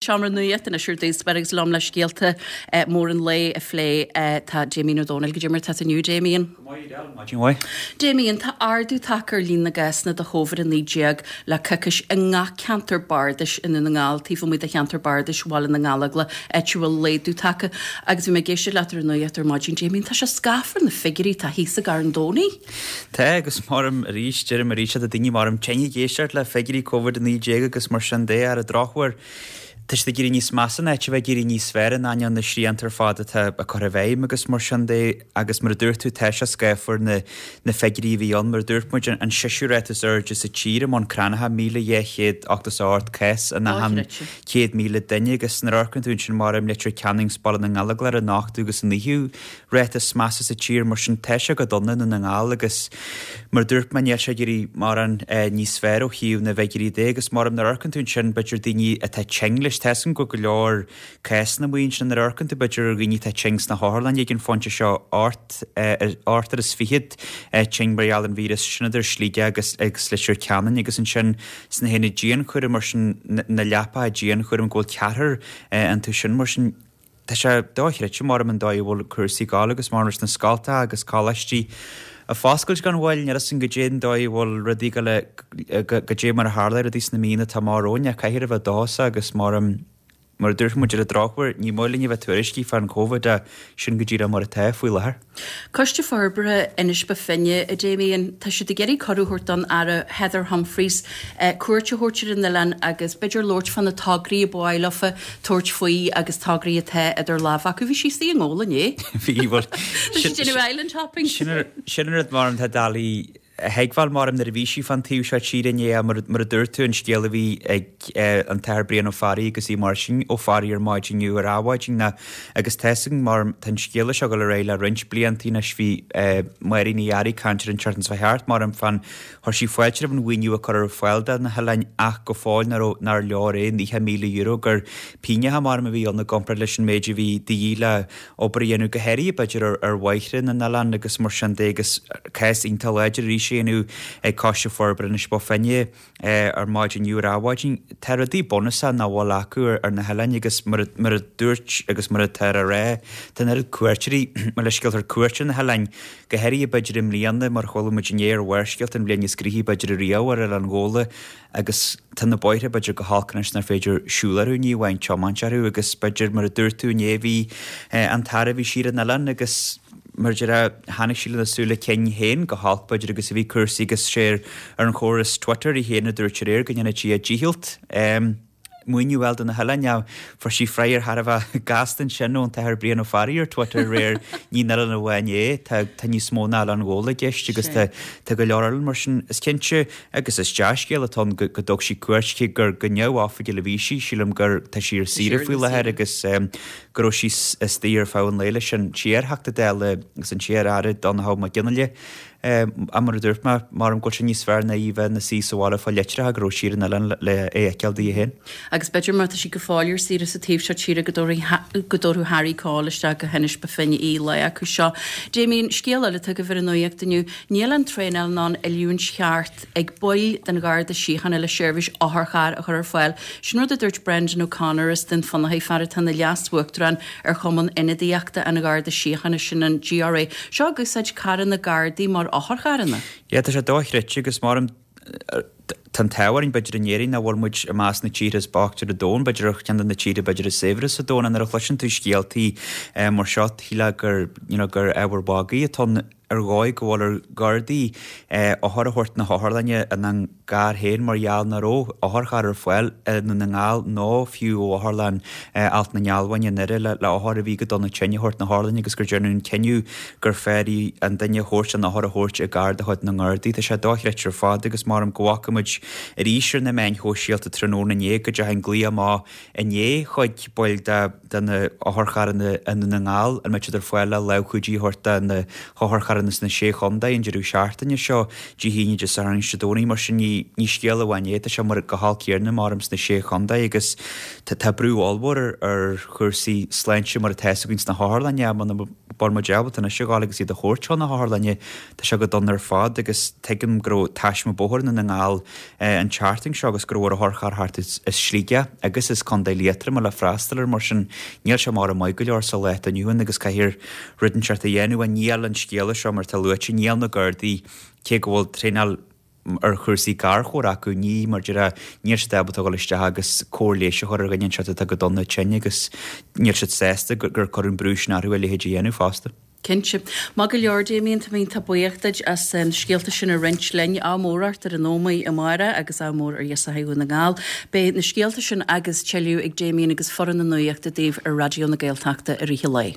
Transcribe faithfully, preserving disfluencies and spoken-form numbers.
Seomra Nuachta anois ar dtús agus liom le scéalta móra an lae a phlé tá Damien Ó Dónaill goidé mar tá tú inniu Damien. Damien tá ardú tagtha ar líon na gcásanna de Covid a naoi déag le coicís i ngach ceantar bardais i nDún na nGall taobh amuigh de cheantar bardais Bhaile na nGallóglach áit a bhfuil laghdú tagtha agus bhí mé ag éisteacht leat ar an nuacht ar maidin Damien tá sé scáfar na figiúirí tá thíos i gCarn Domhnaigh. Tá agus maram arís deirim arís tá daoine maram tinn ag éisteacht le figiúirí Covid a naoi déag agus mar sin de ar an drochuair. Tá siad ag éirí níos measa in áit a bheith ag éirí níos fearr in ainneoin na srianta ar fad atá á cur i bhfeidhm agus mar sin de agus mar a dúirt tú tá sé scáfar na na figiúirí a bhí ann mar a dúirt muid an seisiú ráta is airde sa tír i mBun Cranncha míle dhá chéad ochtó is a hocht cás in achan céad míle duine agus nuair a amharcann tú ansin mar i Leitir Ceanainn 's Baile na nGallóglach ar an ochtú agus an naoú ráta is measa sa tír mar sin tá sé go dona i nDún na nGall agus mar a dúirt mé níl sé ag éirí mórán níos fearr ó thaobh na bhfigiúirí de agus mar nuair a amharcann tú ansin b'fhéidir daoine atá tinn leis tá a fhios againn go bhfuil go leor cásanna amuigh ansin nuair a amharcann tú b'fhéidir ar dhaoine atá tinn sna hotharlanna ag an phointe seo ocht ochtar is fichead tinn mar gheall ar an víreas sin idir Sligeach agus agus Leitir Ceanainn agus ansin sna haonaid dianchúraim mar sin na leapacha dianchúraim go bhfuil ceathrar iontu sin mar sin tá sé dochreidte maram an dóigh a bhfuil cúrsaí ag gabháil agus mar leis na scoltacha agus coláistí ag foscailt gan mhoill níl a fhios againn goidé an dóigh a bhfuil rudaí go le goidé mar a tharla rudaí sna míonna atá amach romhainn ach caithfear a bheith dóchasach agus maram mar a dúirt muid ar an drochuair ní maith linn a bheith tuairiscí fán Covid ach sin go díreach mar atá faoi láthair. Coiste Forbartha Inis Bó Finne, a Damien, tá siad ag iarraidh cuireadh a thabhairt don Aire Heather Humphreys cuairt a thabhairt ar an oileán agus b'fhéidir labhairt fá na tograí a ba mhaith leofa tabhairt faoi agus tograí atá idir lámha acu. Bhí sí istigh i nGabhla inné. Bhí, bhuel, Tá sí ag déanamh island hopping. Sin an rud maram tá doiligh a thuigbheáil maram nuair a bhí sí fán taobh seo tíre inné mar a dúirt tú an scéal a bhí ag an tAthair Brian Ó Fearraigh agus í Máirtín Ó Fearraigh ar maidin inniu ar Adhmhaidin ná agus tá 'fhios againn mar tá an scéal seo ag dul ar aghaidh le roinnt blianta anois bhí Máirín Ní Fhearraigh ag caint ar an tseachtain seo thart maram fán chuir sí fáilte roimh an mhaoiniú a cuireadh ar fáil do na hoileáin ach go fóill nach raibh nár leor é naocha míle euro gur pínneacha maram a bhí ann i gcomparáid leis an méid a bhí de dhíth le obair a dhéanamh go háirithe b'fhéidir ar ar bhóithre na n-oileán agus mar sin de agus cás iontach láidir arís a dhéanamh ag Coiste Forbartha Inis Bó Finne ar maidin inniu ar Adhmhaidin. Tá rudaí bunúsacha nach bhfuil acu ar na hoileáin agus mar mar a dúirt agus mar atá á rá tá an oiread cuairteoirí mar le scéalta ar cuairt ar na hoileáin go háirithe b'fhéidir i mbliana mar chuala muid inné ar Bharrscéalta an bhliain is gnoithí b'fhéidir ariamh ar Oileán Ghabhla agus tá na bóithre b'fhéidir go holc anois nár féidir siúl orthu ní amháin tiomáint orthu agus b'fhéidir mar a dúirt tú inné bhí an tAire bhí sí ar an oileán agus mar a déarfá chonaic sí lena súile cinn féin go holc b'fhéidir agus a bhí cúrsaí agus sé ar an chóras Twitter í féin a dúirt aréir go ndéanfadh sí a dícheall maoiniú a fháil do na hoileáin. Now fuair sí freagra thar a bheith gasta ansin ón tAthair Brian Ó Fearraigh ar Twitter aréir ní an oileán amháin é, tá tá níos mó ná Oileán Ghabhla i gceist agus tá tá go leor oileán mar sin. Is cinnte agus is dea-scéal atá ann go go dtug sí cuairt cé gur go neamhoifigiúil a bhí sí, sílim gur tá sí ar saoire faoi láthair agus go raibh sí istigh ar feadh an lae leis an t-iar-Theachta Dála agus an t-iar-Aire Donnchadh Mac Fhionnghaile. Ach mar a dúirt mé, maram go bhfuil sé níos fearr ná í bheith ina suí sa bhaile ag fáil litreacha go raibh sí ar an oileán le é a fheiceáil di féin. Agus b'fhéidir má tá sí go fóill ar saoire sa taobh seo tíre go dtabharfadh Harry Cole isteach go hInis Bó Finne í lá acu seo. Damien, scéal eile atá agaibh ar an nuacht inniu, níl an traenáil ná an oiliúint cheart ag baill den Gharda Síochána le seirbhís otharchairr a chur ar fáil. Sin rud a dúirt Brendan O'Connor as Dún Fionnachaidh, fear atá ina leas-uachtarán ar Chumann Ionadaíochta an Gharda Síochána, sin an GRA. Seo ag úsáid carranna Gardaí mar otharcharranna. Yeah, tá sé dochreidte agus maram tá an t-ádh orainn b'fhéidir in Éirinn nach bhfuil muid i measc na tíortha is boichte ar an domhan, b'fhéidir ar cheann de na tíortha b'fhéidir is saibhre sa domhan, nuair a chloiseann tú scéaltaí mar seo, shílfeá gur, you know, gur ábhar magaidh atá ann. Ar dhóigh go bhfuil ar Ghardaí othair a thabhairt na hotharlainne ina gcarr féin mar gheall nach raibh otharcharr ar fáil i nDún na nGall nó fiú ó Otharlann Alt na nGealbháin i nDoire le othair a bhí go dona tinn a thabhairt na hotharlainne agus gur deineadh an cinneadh gur fearr í an duine a thabhairt an othar a thabhairt i gcarr de chuid na nGardaí. Tá sé dochreidte ar fad agus maram go bhfaca muid arís ar na meáin shóisialta tráthnóna inné go dteachaigh an glaoch amach inné chuig baill de de na hotharcharranna i nDún na nGall, an mbeidh siad ar fáil le lámhchuidiú a thabhairt do na hotharcharranna sna Sé Chontae an deireadh seachtaine seo, Dé hAoine, Dé Sathairn agus Dé Domhnaigh. Mar sin ní ní scéal amháin é, tá sé mar go holc céanna maram sna Sé Chontae agus tá tá brú ollmhór ar ar chúrsaí sláinte mar atá 'fhios againn sna hotharlanna muna bhfuil muid ábalta anois a ghabháil agus iad a thabhairt chun na hotharlainne, tá sé go dona ar fad agus tuigim go raibh taisme bóthair i nDún na nGall dul an tseachtain seo agus go raibh ar a otharcharr theacht as Sligeach agus as Contae Liatroma le freastal air mar sin níl sé mar maith go leor sa lá atá inniu ann agus caithfear rud inteacht a dhéanamh níl an scéala seo mar tá luaite níl na Gardaí cé go bhfuil traenáil ar chúrsaí garchabhair acu ní mar deir níl siad ábalta dul isteach agus cóir leighis a chur ar dhuine anseo atá go dona tinn agus níl siad sásta gur cuireadh an brú sin orthu a leithéid a dhéanamh fosta. Cinnte. Maith go leor Damien tá mé iontach buíoch duit as an scéalta sin a roinnt linn. Ádh mór ort ar an Ómaigh amárach agus ádh mór ar Dheasach Dhún na nGall. Beidh na scéalta sin agus tuilleadh ag Damien agus foireann na nuachta daoibh ar Raidió na Gaeltachta i rith an lae.